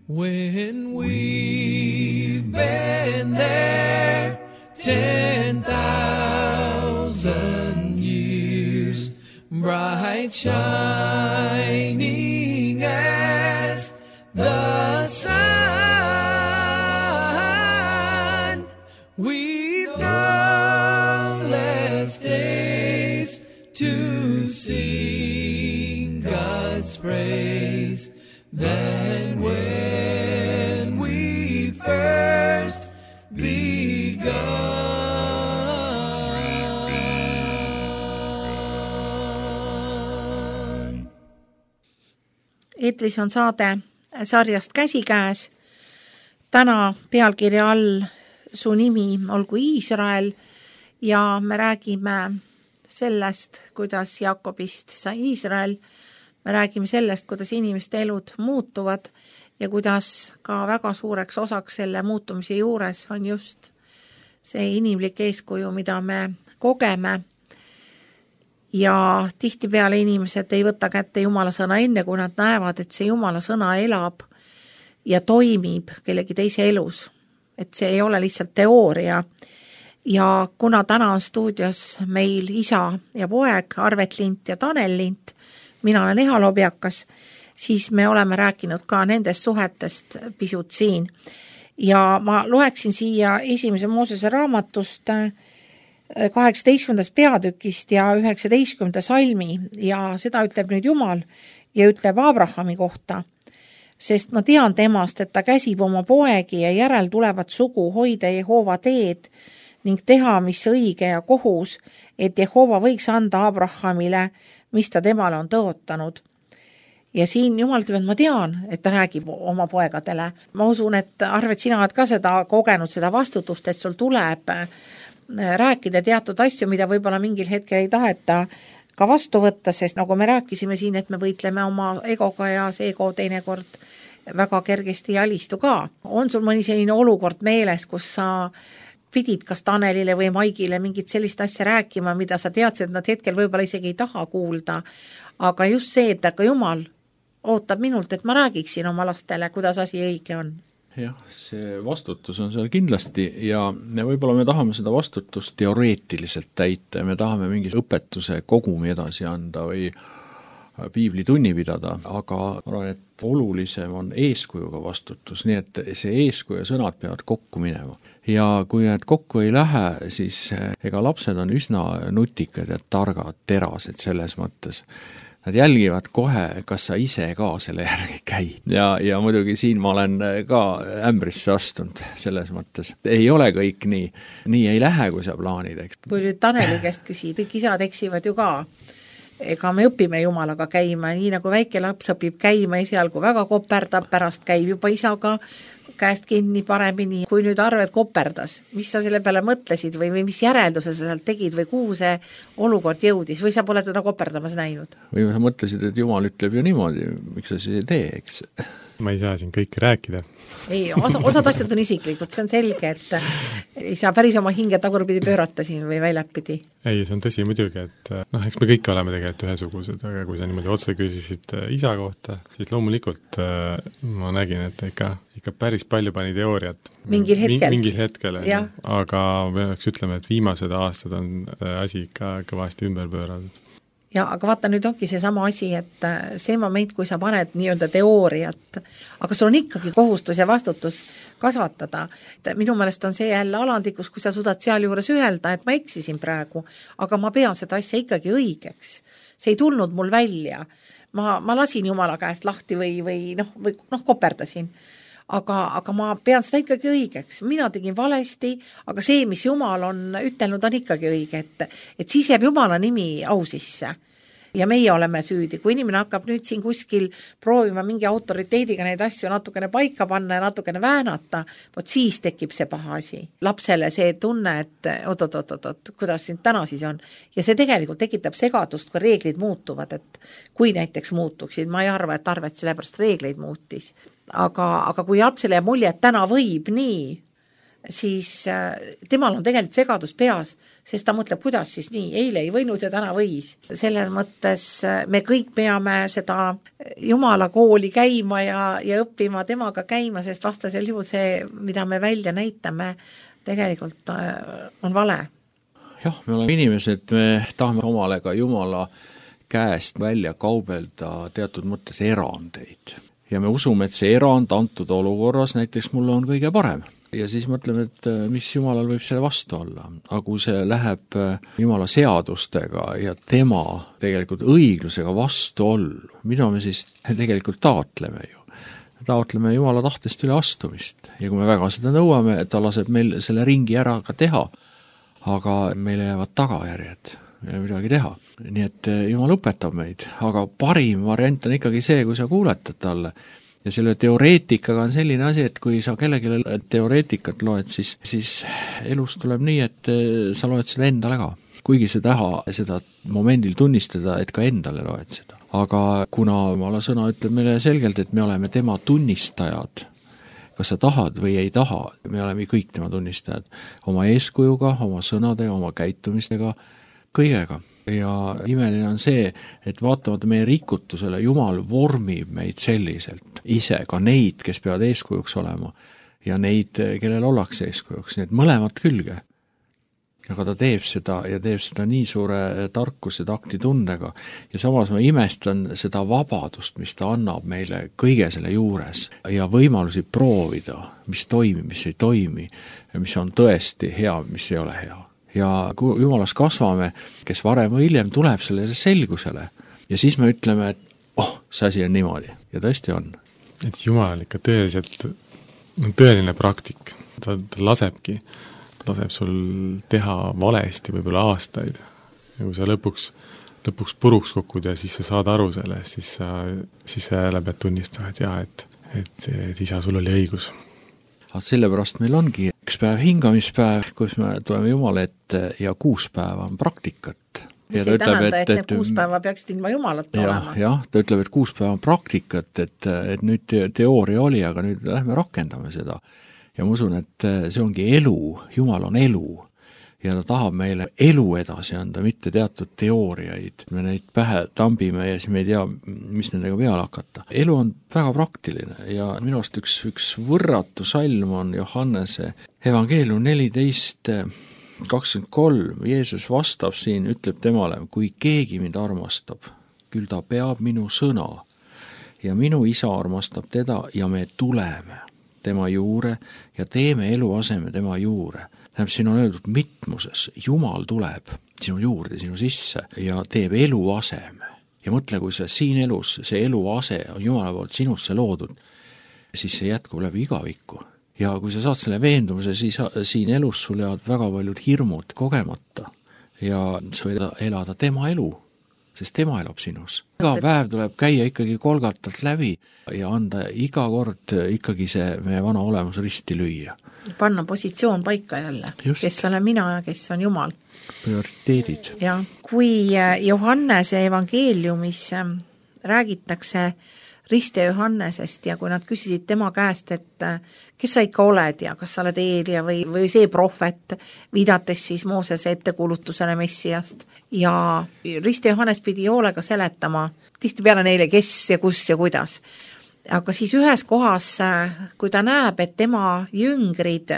When we've been there 10,000 years, bright shining as the sun, we've no less days to sing God's praise than when we first believed. eetris on saade sarjast Käsikäes. Täna pealkirja all Su nimi olgu Iisrael ja me räägime sellest, kuidas Jaakobist sai Iisrael. Me räägime sellest, kuidas inimeste elud muutuvad ja kuidas ka väga suureks osaks selle muutumise juures on just see inimlik eeskuju, mida me kogeme. Ja tihtipeale inimesed ei võta kätte Jumala sõna enne, kui nad näevad, et see Jumala sõna elab ja toimib kellegi teise elus. Et see ei ole lihtsalt teooria. Ja kuna täna on stuudios meil isa ja poeg, Arvet Lint ja Tanel Lint, mina olen Eha Lobjakas, siis me oleme rääkinud ka nendest suhetest pisut siin. Ja ma loeksin siia 1. Moosese raamatust 18. peatükist ja 19. salmi ja seda ütleb nüüd Jumal ja ütleb Abrahami kohta. Sest ma tean temast, et ta käsib oma poegi ja järel tulevat sugu hoida Jehova teed ning teha, mis õige ja kohus, et Jehova võiks anda Abrahamile, mis ta temale on tõotanud. Ja siin Jumal ütleb, et ma tean, et ta räägib oma poegadele. Ma usun, et Arvet, sina oled ka seda kogenud, seda vastutust, et sul tuleb rääkida teatud asju, mida võib-olla mingil hetkel ei taheta ka vastu võtta, sest nagu me rääkisime siin, et me võitleme oma egoga ja see ego teinekord väga kergesti ei alistu ka. On sul mõni selline olukord meeles, kus sa pidid kas Tanelile või Maigile mingit sellist asja rääkima, mida sa teadsid, et nad hetkel võib-olla isegi ei taha kuulda, aga just see, et aga Jumal ootab minult, et ma räägiksin oma lastele, kuidas asi õige on. Jah, see vastutus on seal kindlasti ja võib-olla me tahame seda vastutust teoreetiliselt täita ja me tahame mingi õpetuse kogumi edasi anda või piiblitunni pidada, aga ma arvan, et olulisem on eeskujuga vastutus, nii et see eeskuju ja sõnad peavad kokku minema. Ja kui need kokku ei lähe, siis ega lapsed on üsna nutikad ja targad, terased selles mõttes. Nad jälgivad kohe, kas sa ise ka selle järgi käid. Ja muidugi siin ma olen ka ämbrisse astunud selles mõttes. Ei ole kõik nii. Nii ei lähe, kui sa plaanid. Eks. Kui nüüd Taneli käest küsib, kõik isad eksivad ju ka. Ega me õpime Jumalaga käima, nii nagu väike laps õpib käima esialgu väga koperdab, pärast käib juba isaga käest kinni paremini. Kui nüüd Arvet koperdas, mis sa selle peale mõtlesid või mis järelduse sa sealt tegid või kuhu see olukord jõudis või sa pole teda koperdamas näinud? Või sa mõtlesid, et Jumal ütleb ju niimoodi, miks sa siis ei tee, eks? Ma ei saa siin kõike rääkida. Ei, osad asjad on isiklikud, see on selge, et ei saa päris oma hinge tagurpidi pöörata siin või väljapidi. Ei, see on tõsi muidugi, et eks me kõik oleme tegelikult ühesugused, aga kui sa niimoodi otse küsisid isa kohta, siis loomulikult ma nägin, et ikka päris palju pani teooriat. Mingil hetkel, aga peaks ütlema, et viimased aastad on asi ikka kõvasti ümber pööratud. Ja aga vaata, nüüd ongi see sama asi, et see moment, kui sa paned nii-öelda teooriat, aga sul on ikkagi kohustus ja vastutus kasvatada. Minu meelest on see jälle alandikus, kui sa suudad seal juures öelda, et ma eksisin praegu, aga ma pean seda asja ikkagi õigeks. See ei tulnud mul välja. Ma lasin Jumala käest lahti või koperdasin. Aga ma pean seda ikkagi õigeks. Mina tegin valesti, aga see, mis Jumal on ütelnud, on ikkagi õige, et siis jääb Jumala nimi au sisse. Ja meie oleme süüdi. Kui inimene hakkab nüüd siin kuskil proovima mingi autoriteediga neid asju natukene paika panna ja natukene väänata, vot siis tekib see paha asi. Lapsele see tunne, et oot, kuidas siin täna siis on. Ja see tegelikult tekitab segadust, kui reeglid muutuvad, et kui näiteks muutuksid, ma ei arva, et Arvet sellepärast reegleid muutis. Aga kui lapsele jääb mulje, et täna võib nii, siis temal on tegelikult segadus peas, sest ta mõtleb, kuidas siis nii, eile ei võinud ja täna võis. Selles mõttes me kõik peame seda Jumala kooli käima ja õppima temaga käima, sest vastasel juhul see, mida me välja näitame, tegelikult on vale. Jah, me oleme inimesed, me tahame omale ka Jumala käest välja kaubelda teatud mõttes erandeid. Ja me usume, et see erand antud olukorras näiteks mulle on kõige parem. Ja siis mõtleme, et mis Jumalal võib selle vastu olla. Aga kui see läheb Jumala seadustega ja tema tegelikult õiglusega vastu ollu, mida me siis tegelikult taotleme ju? Taotleme Jumala tahtest üle astumist. Ja kui me väga seda nõuame, et ta laseb meil selle ringi ära ka teha, aga meile jäävad tagajärjed. meil ei ole midagi teha. Nii et Jumal õpetab meid, aga parim variant on ikkagi see, kui sa kuuletad talle. Ja selle teoreetikaga on selline asi, et kui sa kellelegi teoreetikat loed, siis elus tuleb nii, et sa loed seda endale ka. Kuigi sa taha seda momendil tunnistada, et ka endale loed seda. Aga kuna Jumala sõna ütleb meile selgelt, et me oleme tema tunnistajad, kas sa tahad või ei taha, me oleme kõik tema tunnistajad, oma eeskujuga, oma sõnadega, oma käitumistega, kõigega. Ja imeline on see, et vaatamata meie rikutusele Jumal vormib meid selliselt, ise ka neid, kes peavad eeskujuks olema, ja neid, kellel ollakse eeskujuks, need mõlemad külge. Aga ta teeb seda ja teeb seda nii suure tarkuse taktitundega ja samas ma imestan seda vabadust, mis ta annab meile kõige selle juures ja võimalusi proovida, mis toimib, mis ei toimi ja mis on tõesti hea, mis ei ole hea. Ja kui Jumalas kasvame, kes varem või hiljem tuleb sellele selgusele ja siis me ütleme, et see asi on niimoodi ja tõesti on. Et Jumal on ikka tõeline praktik, ta laseb sul teha valesti võib-olla aastaid ja kui sa lõpuks puruks kukud ja siis sa saad aru sellest, siis sa jälle pead tunnistama, et jah, et isa, sul oli õigus. Aga sellepärast meil ongi üks päev hingamispäev, kus me tuleme Jumala ette ja 6 päeva on praktikat. Mis ei tähenda, et need 6 päeva peaksid ilma Jumalat olema. Jah, ta ütleb, et 6 päeva on praktikat, et nüüd teooria oli, aga nüüd lähme rakendame seda. Ja ma usun, et see ongi elu, Jumal on elu ja ta tahab meile elu edasi anda, mitte teatud teooriaid. Me neid pähe tambime ja siis me ei tea, mis nendega peale hakata. Elu on väga praktiline ja minu arust üks võrratu salm on Johannese evangeelium 14:23. Jeesus vastab siin, ütleb temale, kui keegi mind armastab, küll ta peab minu sõna ja minu isa armastab teda ja me tuleme tema juure ja teeme eluaseme tema juure. Tähendab, siin on öeldud mitmuses, Jumal tuleb sinu juurde, sinu sisse ja teeb eluaseme. Ja mõtle, kui sa siin elus, see eluase on Jumala poolt sinusse loodud, siis see jätkub läbi igavikku. Ja kui sa saad selle veendumuse, siis siin elus sul jäävad väga paljud hirmud kogemata ja sa võid elada tema elu, sest tema elab sinus. Iga päev tuleb käia ikkagi Kolgatalt läbi ja anda iga kord ikkagi see meie vana olemus risti lüüa. Panna positsioon paika jälle, just. Kes olen mina ja kes on Jumal. Prioriteedid. Ja kui Johannese evangeeliumis räägitakse Riste Johannesest ja kui nad küsisid tema käest, et kes sa ikka oled ja kas sa oled Eelia või see prohvet, viidates siis Moosese ettekuulutusele Messiast. Ja Riste Johannes pidi hoolega seletama tihtipeale neile, kes ja kus ja kuidas. Aga siis ühes kohas, kui ta näeb, et tema jüngrid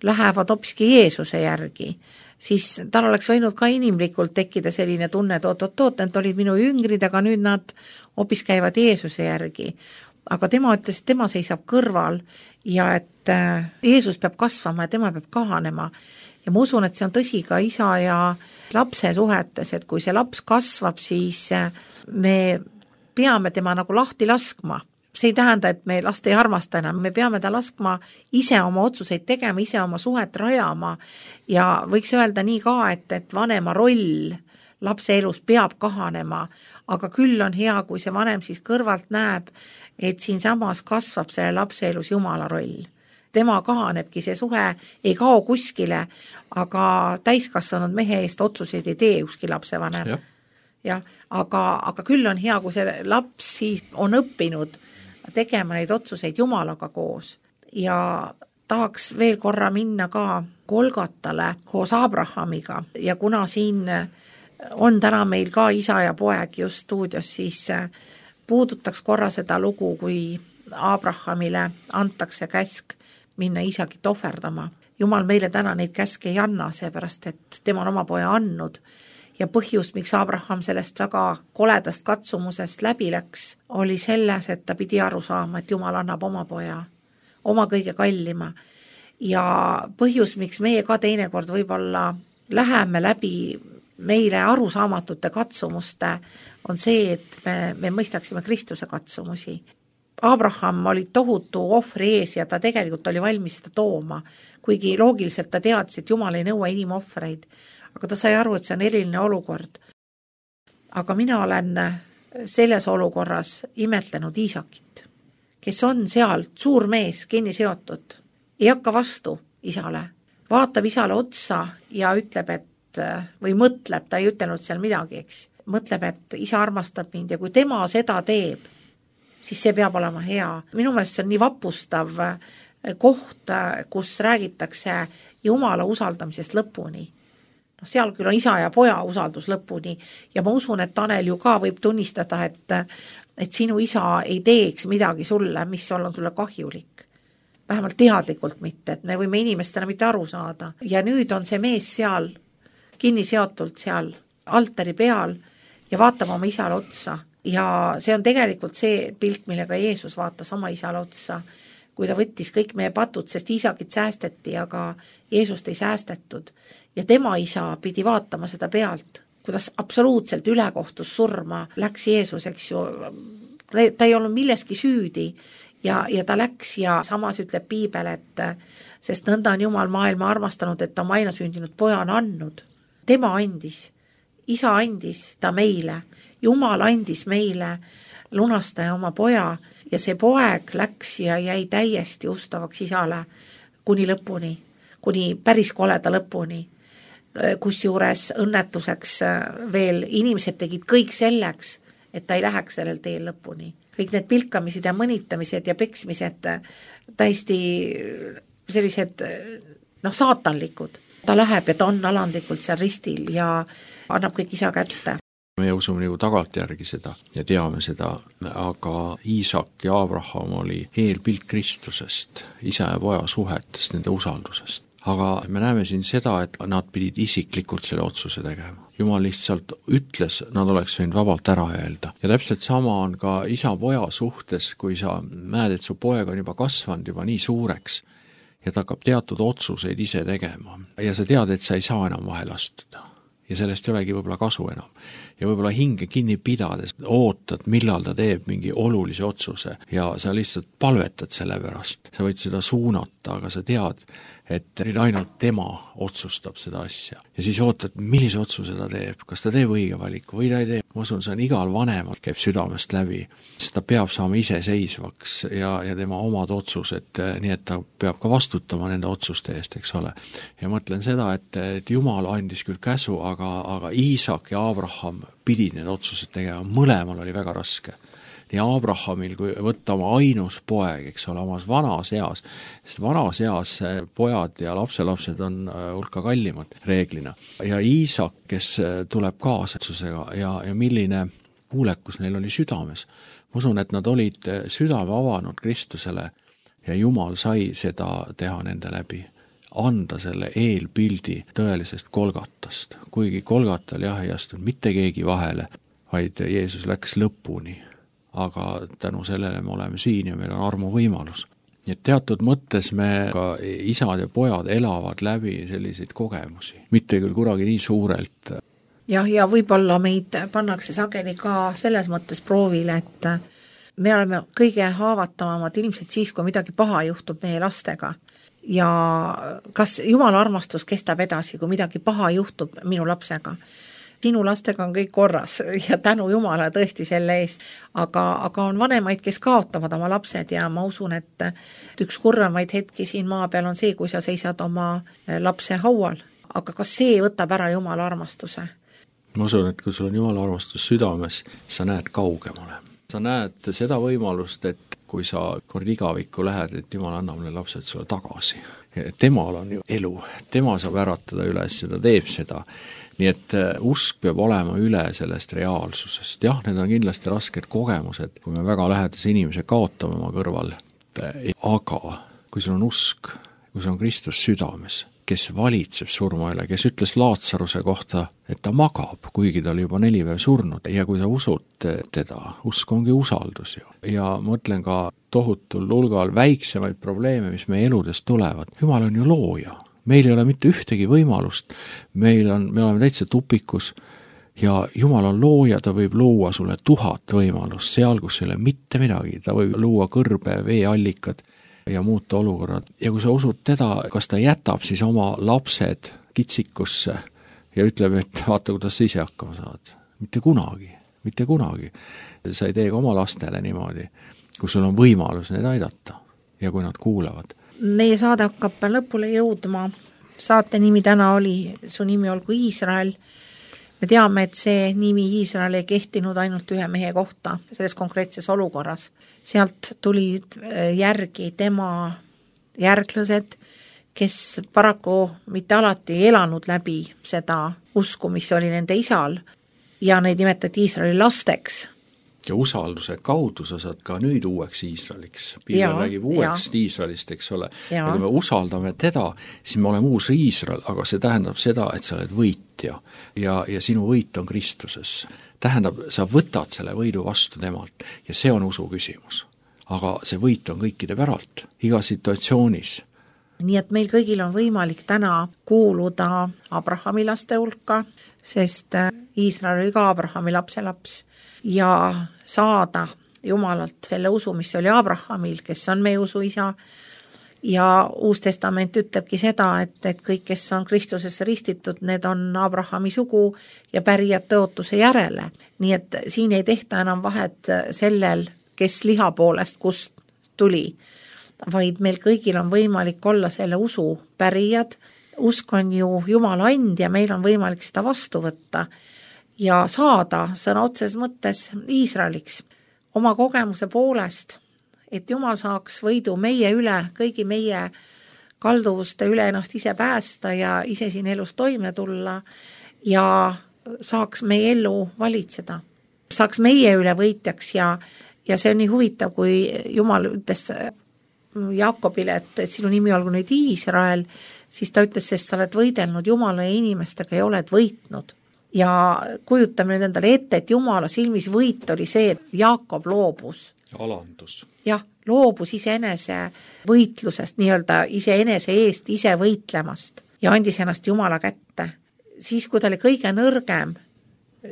lähevad hoopiski Jeesuse järgi, siis tal oleks võinud ka inimlikult tekkida selline tunne, et need olid minu jüngrid, aga nüüd nad hoopis käivad Jeesuse järgi. Aga tema ütles, et tema seisab kõrval ja et Jeesus peab kasvama ja tema peab kahanema. Ja ma usun, et see on tõsi ka isa ja lapse suhetes, et kui see laps kasvab, siis me peame tema nagu lahti laskma. See ei tähenda, et me last ei armasta enam, me peame ta laskma ise oma otsuseid tegema, ise oma suhet rajama ja võiks öelda nii ka, et vanema roll lapse elus peab kahanema, aga küll on hea, kui see vanem siis kõrvalt näeb, et siin samas kasvab selle lapse elus Jumala roll. Tema kahanebki, see suhe ei kao kuskile, aga täiskasvanud mehe eest otsuseid ei tee ükski lapsevanem. Ja, aga küll on hea, kui see laps siis on õppinud tegema neid otsuseid Jumalaga koos ja tahaks veel korra minna ka Golgatale koos Abrahamiga ja kuna siin on täna meil ka isa ja poeg just stuudios, siis puudutaks korra seda lugu, kui Abrahamile antakse käsk minna isakit ohverdama. Jumal meile täna neid käske ei anna, seepärast et tema on oma poja andnud. Ja põhjus, miks Abraham sellest väga koledast katsumusest läbi läks, oli selles, et ta pidi aru saama, et Jumal annab oma poja, oma kõige kallima. Ja põhjus, miks meie ka teinekord võib-olla läheme läbi meile arusaamatute katsumuste, on see, et me mõistaksime Kristuse katsumusi. Abraham oli tohutu ohvri ees ja ta tegelikult oli valmis seda tooma, kuigi loogiliselt ta teadis, et Jumal ei nõua inimohvreid. aga ta sai aru, et see on eriline olukord. Aga mina olen selles olukorras imetlenud Iisakit, kes on seal suur mees, kinni seotud, ei hakka vastu isale, vaatab isale otsa ja ütleb, et või mõtleb, ta ei ütelnud seal midagi, eks, mõtleb, et isa armastab mind ja kui tema seda teeb, siis see peab olema hea. Minu meelest see on nii vapustav koht, kus räägitakse Jumala usaldamisest lõpuni. Seal küll on isa ja poja usaldus lõpuni ja ma usun, et Tanel ju ka võib tunnistada, et sinu isa ei teeks midagi sulle, mis on sulle kahjulik. Vähemalt teadlikult mitte, et me võime inimestena mitte aru saada. Ja nüüd on see mees seal kinni seotult seal altari peal ja vaatab oma isale otsa. Ja see on tegelikult see pilt, millega Jeesus vaatas oma isale otsa, kui ta võttis kõik meie patud, sest Iisakit säästeti, aga Jeesust ei säästetud. Ja tema isa pidi vaatama seda pealt, kuidas absoluutselt ülekohtus surma läks Jeesus, eks ju. Ta ei olnud milleski süüdi ja ta läks ja samas ütleb Piibel, et sest nõnda on Jumal maailma armastanud, et ta oma ainasündinud poja on andnud. Tema andis, isa andis ta meile, Jumal andis meile lunastaja oma poja ja see poeg läks ja jäi täiesti ustavaks isale kuni lõpuni, kuni päris koleda lõpuni. Kusjuures õnnetuseks veel inimesed tegid kõik selleks, et ta ei läheks sellel teel lõpuni. Kõik need pilkamised ja mõnitamised ja peksmised täiesti sellised saatanlikud. Ta läheb ja ta on alandlikult seal ristil ja annab kõik isa kätte. Me usume nagu tagantjärgi seda ja teame seda, aga Iisak ja Abraham oli eelpilt Kristusest, isa ja poja suhetest, nende usaldusest. Aga me näeme siin seda, et nad pidid isiklikult selle otsuse tegema. Jumal lihtsalt ütles, nad oleks võinud vabalt ära öelda. Ja täpselt sama on ka isa-poja suhtes, kui sa näed, et su poeg on juba kasvanud juba nii suureks ja ta hakkab teatud otsuseid ise tegema. Ja sa tead, et sa ei saa enam vahel astuda. Ja sellest ei olegi võib-olla kasu enam. Ja võib-olla hinge kinni pidades ootad, millal ta teeb mingi olulise otsuse ja sa lihtsalt palvetad selle pärast. Sa võid seda suunata, aga sa tead, et nüüd ainult tema otsustab seda asja. Ja siis ootad, millise otsuse ta teeb, kas ta teeb õige valiku või ta ei tee. Ma usun, see on igal vanemal käib südamest läbi, sest ta peab saama iseseisvaks ja tema omad otsused, nii et ta peab ka vastutama nende otsuste eest, eks ole. Ja mõtlen seda, et Jumal andis küll käsu, aga Iisak ja Abraham pidid need otsused tegema, mõlemal oli väga raske. Nii Abrahamil, kui võtta oma ainus poeg, eks ole, omas vanas eas, sest vanas eas pojad ja lapselapsed on hulka kallimad reeglina. Ja Iisak, kes tuleb kaasatsusega ja milline kuulekus neil oli südames. Ma usun, et nad olid südame avanud Kristusele ja Jumal sai seda teha nende läbi. Anda selle eelpildi tõelisest Golgatast. Kuigi Golgatal ei astunud mitte keegi vahele, vaid Jeesus läks lõpuni. Aga tänu sellele me oleme siin ja meil on armu võimalus. Nii et teatud mõttes me ka isad ja pojad elavad läbi selliseid kogemusi. Mitte küll kuragi nii suurelt. Ja võib-olla meid pannakse sageli ka selles mõttes proovile, et me oleme kõige haavatavamad ilmselt siis, kui midagi paha juhtub meie lastega. Ja kas Jumala armastus kestab edasi, kui midagi paha juhtub minu lapsega? Sinu lastega on kõik korras ja tänu Jumala tõesti selle eest, aga on vanemaid, kes kaotavad oma lapsed ja ma usun, et üks kurvemaid hetki siin maa peal on see, kui sa seisad oma lapse haual. Aga kas see võtab ära Jumala armastuse? Ma usun, et kui sul on Jumala armastus südames, sa näed kaugemale. Sa näed seda võimalust, et kui sa kord igavikku lähed, et Jumal annab need lapsed sulle tagasi. Temal on ju elu, tema saab äratada üles ja ta teeb seda. Nii et usk peab olema üle sellest reaalsusest. Jah, need on kindlasti rasked kogemused, kui me väga lähedase inimese kaotame oma kõrval. Aga kui sul on usk, kui sul on Kristus südames, kes valitseb surma üle, kes ütles Laatsaruse kohta, et ta magab, kuigi ta oli juba 4 päeva surnud. Ja kui sa usud teda, usk ongi usaldus ju. Ja mõtlen ka tohutul hulgal väiksemaid probleeme, mis meie eludest tulevad. Jumal on ju looja. Meil ei ole mitte ühtegi võimalust, me oleme täitsa tupikus ja Jumal on looja, ta võib luua sulle 1000 võimalust, seal kus ei ole mitte midagi, ta võib luua kõrbe, veeallikad ja muuta olukorrad. Ja kui sa usud teda, kas ta jätab siis oma lapsed kitsikusse ja ütleb, et vaata, kuidas sa ise hakkama saad. Mitte kunagi. Sa ei tee ka oma lastele niimoodi, kus sul on võimalus neid aidata ja kui nad kuulavad. Meie saade hakkab lõpule jõudma. Saate nimi täna oli Su nimi olgu Iisrael. Me teame, et see nimi Iisrael ei kehtinud ainult ühe mehe kohta selles konkreetses olukorras. Sealt tulid järgi tema järglased, kes paraku mitte alati ei elanud läbi seda usku, mis oli nende isal, ja neid nimetati Iisraeli lasteks. Ja usalduse kaudu sa saad ka nüüd uueks Iisraeliks. Piibel räägib uueks Iisraelist, eks ole. Ja kui me usaldame teda, siis me oleme uus Iisrael, aga see tähendab seda, et sa oled võitja ja sinu võit on Kristuses. Tähendab, sa võtad selle võidu vastu temalt ja see on usu küsimus. Aga see võit on kõikide päralt, iga situatsioonis. Nii et meil kõigil on võimalik täna kuuluda Abrahami laste hulka, sest Iisrael oli ka Abrahami lapselaps ja saada Jumalalt selle usu, mis oli Abrahamil, kes on meie usu isa. Ja Uus Testament ütlebki seda, et kõik, kes on Kristusesse ristitud, need on Abrahami sugu ja pärijad tõotuse järele. Nii et siin ei tehta enam vahet sellel, kes liha poolest kust tuli, vaid meil kõigil on võimalik olla selle usu pärijad. Usk on ju Jumala and ja meil on võimalik seda vastu võtta ja saada sõna otses mõttes Iisraeliks oma kogemuse poolest, et Jumal saaks võidu meie üle, kõigi meie kalduvuste üle ennast ise päästa ja ise siin elus toime tulla ja saaks meie elu valitseda. Saaks meie üle võitjaks ja see on nii huvitav, kui Jumal ütles Jaakobile, et sinu nimi olgu nüüd Iisrael, siis ta ütles, sest sa oled võidelnud Jumala ja inimestega ja oled võitnud. Ja kujutame nüüd endale ette, et Jumala silmis võit oli see, et Jaakob loobus. Alandus. Jah, loobus iseenese võitlusest, nii-öelda iseenese eest ise võitlemast ja andis ennast Jumala kätte. Siis, kui ta oli kõige nõrgem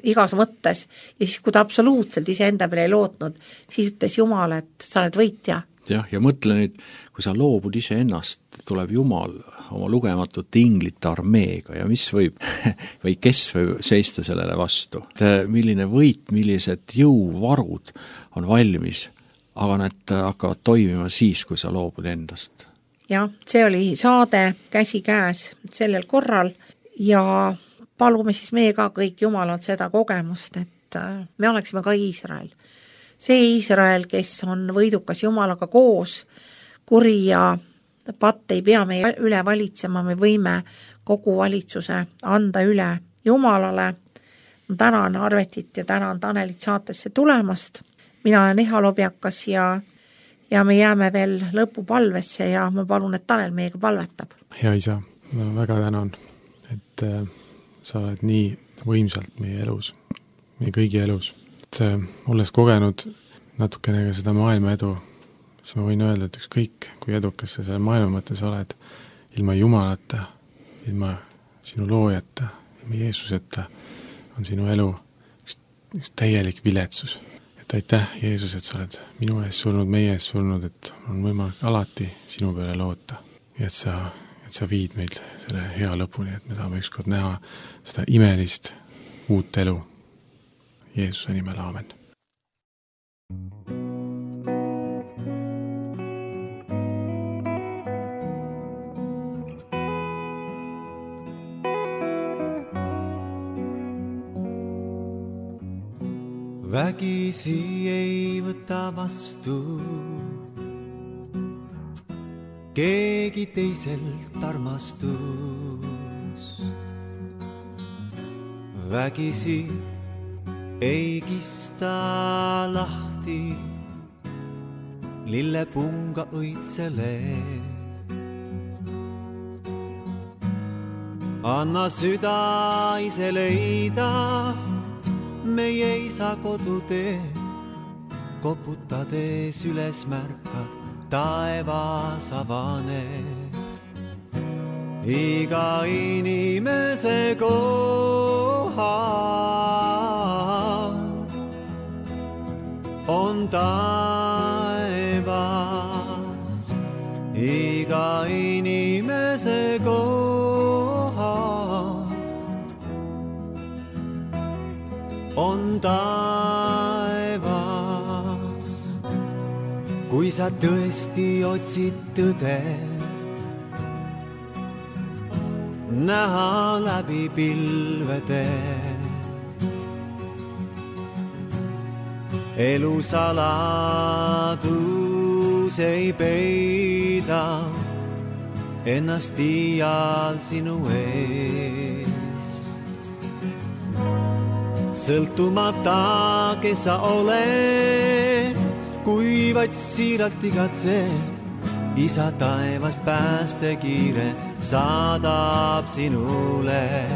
igas mõttes ja siis, kui ta absoluutselt iseenda peale ei lootnud, siis ütles Jumal, et sa oled võitja. Jah, ja mõtle nüüd, kui sa loobud iseennast, tuleb Jumal oma lugematute inglite armeega ja mis võib või kes võib seista sellele vastu. Milline võit, millised jõuvarud on valmis, aga need hakkavad toimima siis, kui sa loobud endast. Jah, see oli saade Käsi käes sellel korral ja palume siis meie ka kõik Jumalalt seda kogemust, et me oleksime ka Iisrael. See Iisrael, kes on võidukas Jumalaga koos, kuri ja patt ei pea meie üle valitsema, me võime kogu valitsuse anda üle Jumalale. Ma tänan Arvetit ja tänan Tanelit saatesse tulemast. Mina olen Eha Lobjakas ja me jääme veel lõpupalvesse ja ma palun, et Tanel meiega palvetab. Hea isa, ma väga tänan, et sa oled nii võimsalt meie elus, meie kõigi elus. Et olles kogenud natukene ka seda maailma edu, siis ma võin öelda, et ükskõik, kui edukas sa selle maailma mõttes oled, ilma Jumalata, ilma sinu loojata, ilma Jeesuseta on sinu elu üks täielik viletsus. Et aitäh, Jeesus, et sa oled minu ees surnud, meie ees surnud, et on võimalik alati sinu peale loota ja et sa viid meid selle hea lõpuni, et me saame ükskord näha seda imelist uut elu. Jeesuse nimel, aamen. Vägisi ei võta vastu keegi teiselt armastust. Vägisi ei kista lahti lillepunga õitsele. Anna süda ise leida meie isa kodutee, koputades üles märkad taevas avaneb. Iga inimese kohal on taevas. Iga inimese kohal on taevas. Kui sa tõesti otsid tõde, näha läbi pilvede. Elu saladus ei peida ennast iial sinu eest. Sõltumata, kes sa oled, kui vaid siiralt igatsed, isa taevast päästekiire saadab sinule.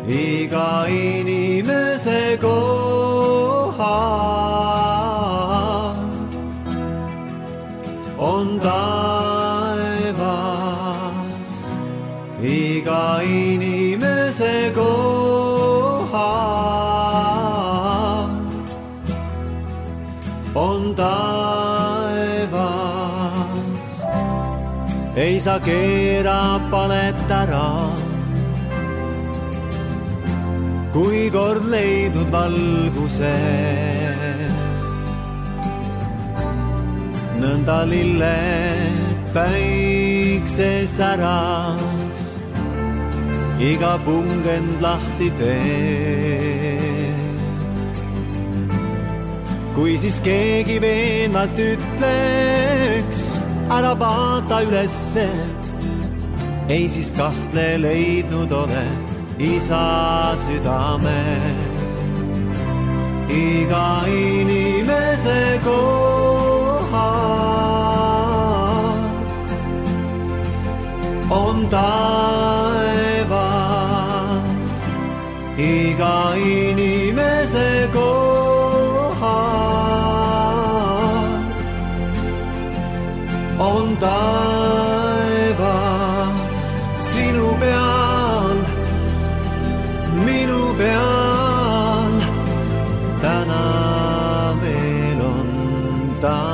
Iga inimese kohal on taevas. Iga inimese kohal on taevas. Ei saa keera palet ära, kui kord leidnud valguse. Nõnda lilled päikses äras, iga pungend lahti tee. Kui siis keegi veenvalt ütleks, ära vaata ülesse, ei siis kahtle leidnud ole isa südame. Iga inimese kohal on taevas. Iga inimese kohal on taevas. Sinu peal, minu peal, täna veel on taevas.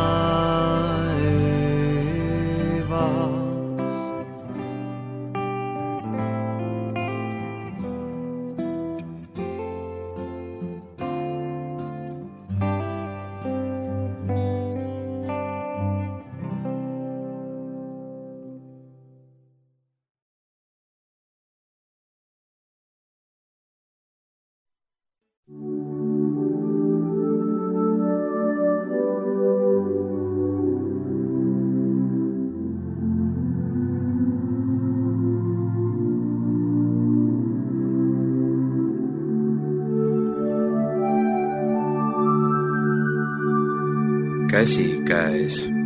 Käsi käes.